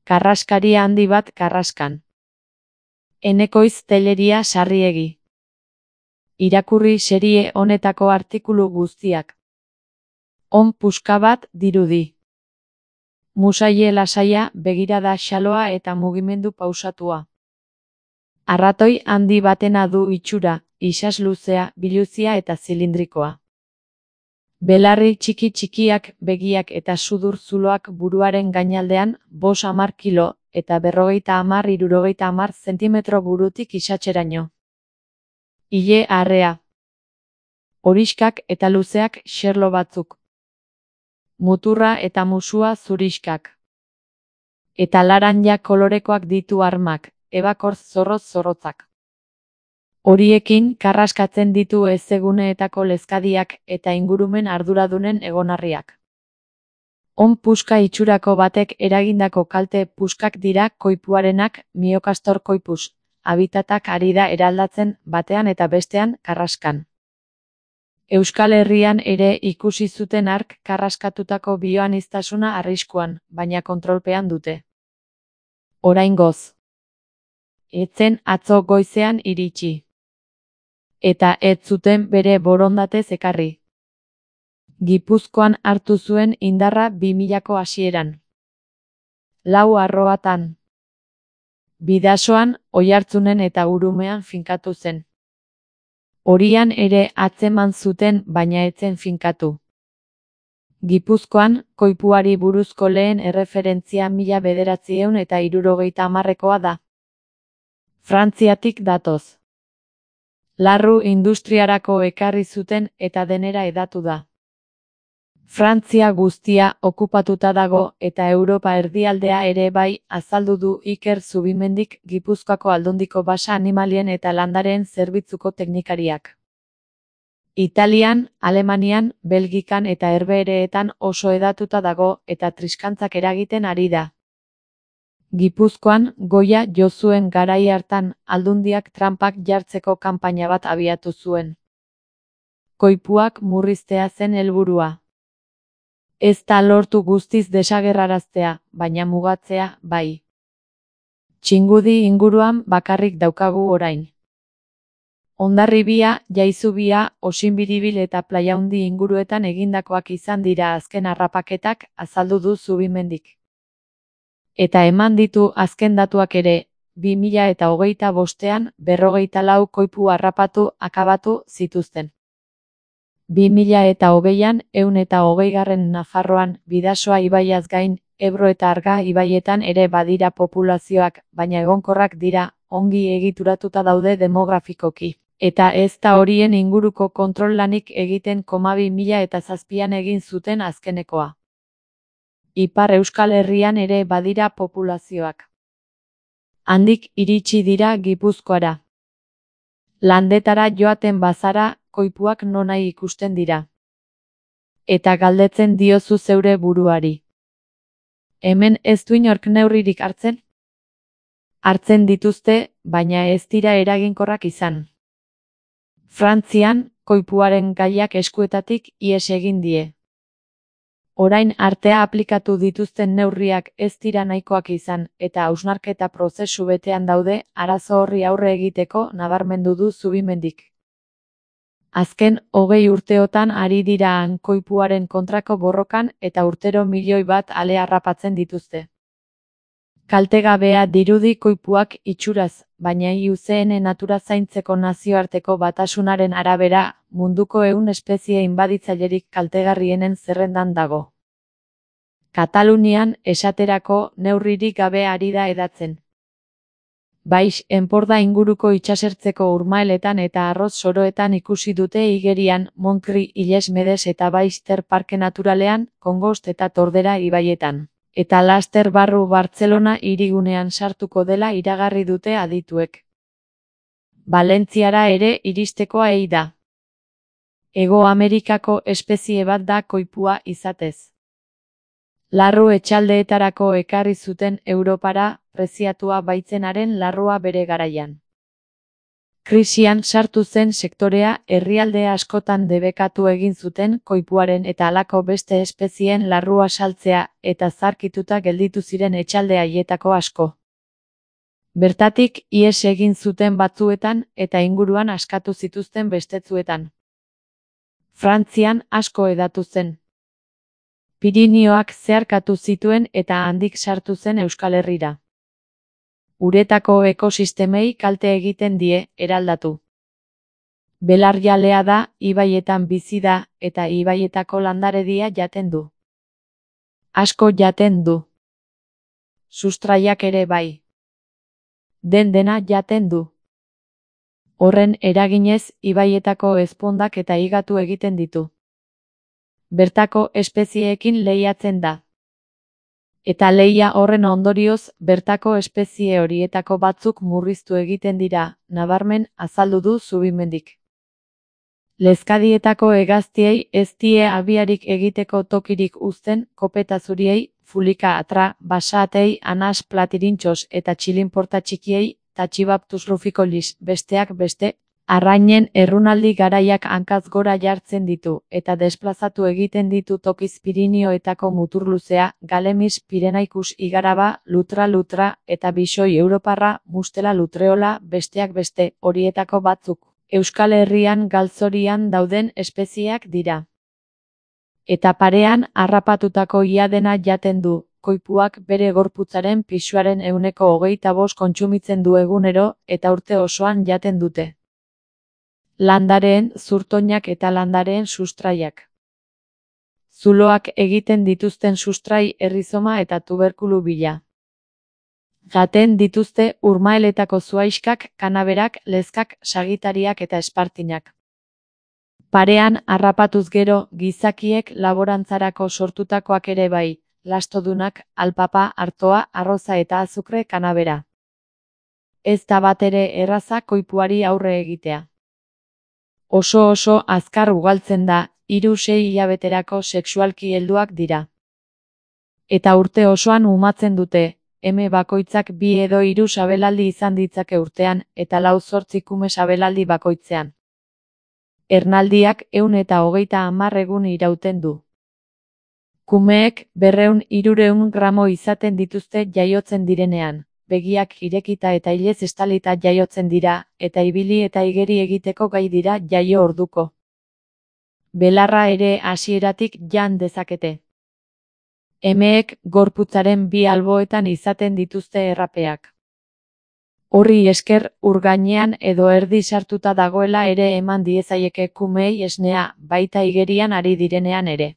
Karraskari handi bat Karraskan. Enekoiz Telleria Sarriegi. Irakurri serie honetako artikulu guztiak. On puska bat dirudi. Musaie lasaia, begirada xaloa eta mugimendu pausatua. Arratoi handi batena du itxura, isas luzea, biluzia eta zilindrikoa. Belarri txiki txikiak, begiak eta sudur zuloak buruaren gainaldean, 50 kilo, eta 50–60 zentimetro burutik isatxeraino. Ile arrea. Horiskak eta luzeak xerlo batzuk. Muturra eta musua zuriskak. Eta laranja kolorekoak ditu armak, ebakor zorroz-zorrotzak. Horiekin karraskatzen ditu ezeguneetako lezkadiak eta ingurumen arduradunen egonarriak. On puska itxurako batek eragindako kalte puskak dira koipuarenak, Myocastor koipus, habitatak ari da eraldatzen batean eta bestean Karraskan. Euskal Herrian ere ikusi zuten hark karraskatutako bioaniztasuna arriskuan, baina kontrolpean dute. Oraingoz. Etzen atzo goizean iritsi. Eta ez zuten bere borondatez ekarri. Gipuzkoan hartu zuen indarra 2000ko hasieran. 4 arrobatan. Bidasoan, Oiartzunen eta Urumean finkatu zen. Horian ere atzeman zuten baina etzen finkatu. Gipuzkoan, koipuari buruzko lehen erreferentzia 1970ekoa da. Frantziatik datoz. Larru industriarako ekarri zuten eta denera hedatu da. Frantzia guztia okupatuta dago eta Europa erdialdea ere bai, azaldu du Iker Zubimendik Gipuzkoako Aldundiko basa animalien eta landareen zerbitzuko teknikariak. Italian, Alemanian, Belgikan eta Herbehereetan oso hedatuta dago eta triskantzak eragiten ari da. Gipuzkoan, goia jo zuen garai hartan, Aldundiak tranpak jartzeko kanpaina bat abiatu zuen. Koipuak murriztea zen helburua. Ez da lortu guztiz desagerraraztea, baina mugatzea, bai. Txingudi inguruan bakarrik daukagu orain. Hondarribia, Jaizubia, Osinbiribil eta Plaiaundi inguruetan egindakoak izan dira azken harrapaketak, azaldu du Zubimendik. Eta eman ditu azken datuak ere, 2025ean 54 koipu harrapatu akabatu zituzten. 2020an 120. Nafarroan, Bidasoa ibaiaz gain, Ebro eta Arga ibaietan ere badira populazioak, baina egonkorrak dira, ongi egituratuta daude demografikoki. Eta ez da horien inguruko kontrol lanik egiten 2007an egin zuten azkenekoa. Ipar Euskal Herrian ere badira populazioak. Handik iritsi dira Gipuzkoara. Landetara joaten bazara, koipuak nonahi ikusten dira. Eta galdetzen diozu zeure buruari. Hemen ez du inork neurririk hartzen? Hartzen dituzte, baina ez dira eraginkorrak izan. Frantzian, koipuaren gaiak eskuetatik ihes egin die. Orain artea aplikatu dituzten neurriak ez dira nahikoak izan, eta hausnarketa prozesu betean daude, arazo horri aurre egiteko nabarmendu du Zubimendik. Azken 20 urteotan ari dira han koipuaren kontrako borrokan eta urtero 1 milioi bat ale harrapatzen dituzte. Kaltegabea dirudi koipuak itxuraz, baina IUCN natura zaintzeko nazioarteko batasunaren arabera, munduko 100 espezie inbaditzailerik kaltegarrienen zerrendan dago. Katalunian, esaterako, neurririk gabe ari da hedatzen. Baix, Enporda inguruko itsasertzeko urmaeletan eta arroz soroetan ikusi dute igerian, Montgri, Illes Medes eta Baixter Parke Naturalean, Kongost eta Tordera ibaietan. Eta laster barru Bartzelona hirigunean sartuko dela iragarri dute adituek. Valentziara ere iristekoa ei da. Hego Amerikako espezie bat da koipua izatez. Larru etxaldeetarako ekarri zuten Europara, preziatua baitzenaren larrua bere garaian. Krisian sartu zen sektorea herrialde askotan debekatu egin zuten koipuaren eta halako beste espezieen larrua saltzea eta zarkituta gelditu ziren etxalde haietako asko. Bertatik ihes egin zuten batzuetan eta inguruan askatu zituzten bestetzuetan. Frantzian asko hedatu zen. Pirinioak zeharkatu zituen eta handik sartu zen Euskal Herrira. Uretako ekosistemei kalte egiten die, eraldatu. Belarjalea da, ibaietan bizi da eta ibaietako landaredia jaten du. Asko jaten du. Sustraiak ere bai. Dena jaten du. Horren eraginez ibaietako ezpondak eta higatu egiten ditu. Bertako espezieekin lehiatzen da. Eta lehia horren ondorioz bertako espezie horietako batzuk murriztu egiten dira, nabarmen azaldu du Zubimendik. Lezkadietako hegaztiei ez die abiarik egiteko tokirik uzten, kopeta zuriei, fulika atra, basatei, anas platirintxos eta txilinporta txikiei, tatxibaptus ruficolis, besteak beste, arrainen errunaldi garaiak hankaz gora jartzen ditu, eta desplazatu egiten ditu tokiz Pirinioetako muturluzea, Galemis Pirenaikus igaraba, lutra, eta bisoi europarra, mustela lutreola, besteak beste, horietako batzuk. Euskal Herrian galtzorian dauden espezieak dira. Eta parean harrapatutako ia dena jaten du, koipuak bere gorputzaren pisuaren 25% kontsumitzen du egunero eta urte osoan jaten dute. Landareen zurtoinak eta landareen sustraiak. Zuloak egiten dituzten sustrai errizoma eta tuberkulu bila. Jaten dituzte urmaeletako zuaiskak, kanaberak, lezkak, sagitariak eta espartinak. Parean harrapatuz gero, gizakiek laborantzarako sortutakoak ere bai, lastodunak, alpapa, artoa, arroza eta azukre kanabera. Ez da batere erraza koipuari aurre egitea. Oso azkar ugaltzen da, 3-6 hilabeterako sexualki helduak dira. Eta urte osoan umatzen dute, bakoitzak 2 edo 3 sabelaldi izan ditzake urtean, eta 4-8 kume sabelaldi bakoitzean. Ernaldiak 130 egun irauten du. Kumeek 200-300 gramo izaten dituzte jaiotzen direnean, begiak irekita eta ilez estalita jaiotzen dira, eta ibili eta igeri egiteko gai dira jaio orduko. Belarra ere hasieratik jan dezakete. Emeek gorputzaren 2 alboetan izaten dituzte errapeak. Horri esker ur gainean edo erdi sartuta dagoela ere eman diezaieke kumeei esnea, baita igerian ari direnean ere.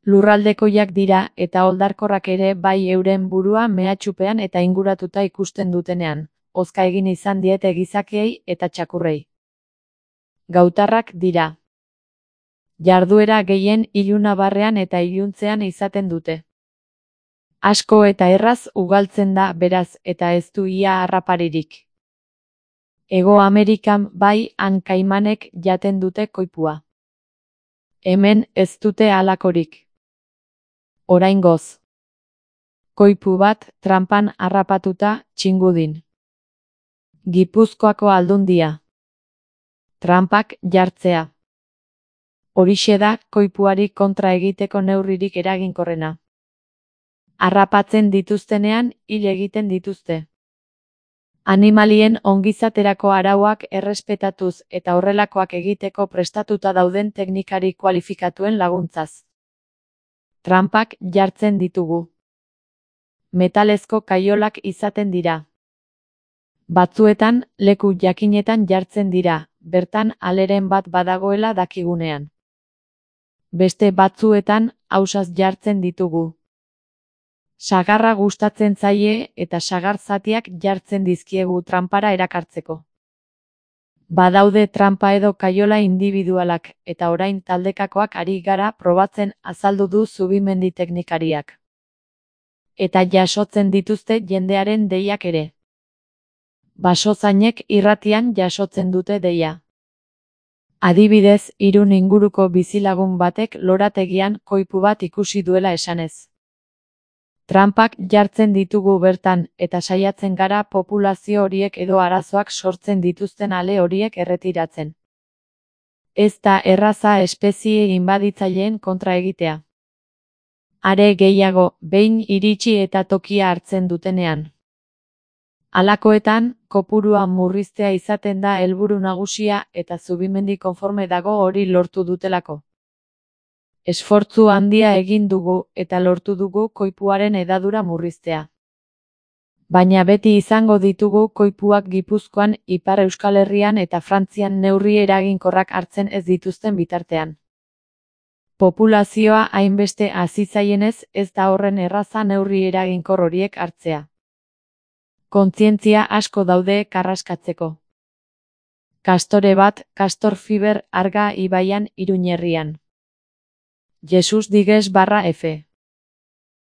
Lurraldekoiak dira eta oldarkorrak ere bai euren burua mehatxupean eta inguratuta ikusten dutenean, hozka egin izan diete gizakiei eta txakurrei. Gautarrak dira. Jarduera gehien ilunabarrean eta iluntzean izaten dute. Asko eta erraz ugaltzen da beraz eta ez du ia harraparirik. Hego Amerikan bai han kaimanek jaten dute koipua. Hemen ez dute halakorik. Oraingoz. Koipu bat tranpan harrapatuta Txingudin. Gipuzkoako Aldundia. Tranpak jartzea. Horixe da koipuari kontra egiteko neurririk eraginkorrena. Harrapatzen dituztenean hil egiten dituzte. Animalien ongizaterako arauak errespetatuz eta horrelakoak egiteko prestatuta dauden teknikari kualifikatuen laguntzaz. Tranpak jartzen ditugu. Metalezko kaiolak izaten dira. Batzuetan, leku jakinetan jartzen dira, bertan aleren bat badagoela dakigunean. Beste batzuetan, ausaz jartzen ditugu. Sagarra gustatzen zaie eta sagar zatiak jartzen dizkiegu tranpara erakartzeko. Badaude tranpa edo kaiola individualak eta orain taldekakoak ari gara probatzen azaldu du Zubimendi teknikariak. Eta jasotzen dituzte jendearen deiak ere. Basozainek irratian jasotzen dute deia. Adibidez, Irun inguruko bizilagun batek lorategian koipu bat ikusi duela esanez. Trampak jartzen ditugu bertan, eta saiatzen gara populazio horiek edo arazoak sortzen dituzten ale horiek erretiratzen. Ez da erraza espezie inbaditzaileen kontra egitea. Are gehiago, behin iritsi eta tokia hartzen dutenean. Halakoetan, kopurua murriztea izaten da helburu nagusia eta Zubimendi konforme dago hori lortu dutelako. Esfortzu handia egin dugu eta lortu dugu koipuaren hedadura murriztea. Baina beti izango ditugu koipuak Gipuzkoan, Ipar Euskal Herrian eta Frantzian neurri eraginkorrak hartzen ez dituzten bitartean. Populazioa hainbeste hazi zaienez ez da horren erraza neurri eraginkor horiek hartzea. Kontzientzia asko daude karraskatzeko. Kastore bat, Castor Fiber Arga ibaian Iruñerrian. Jesus Digues /F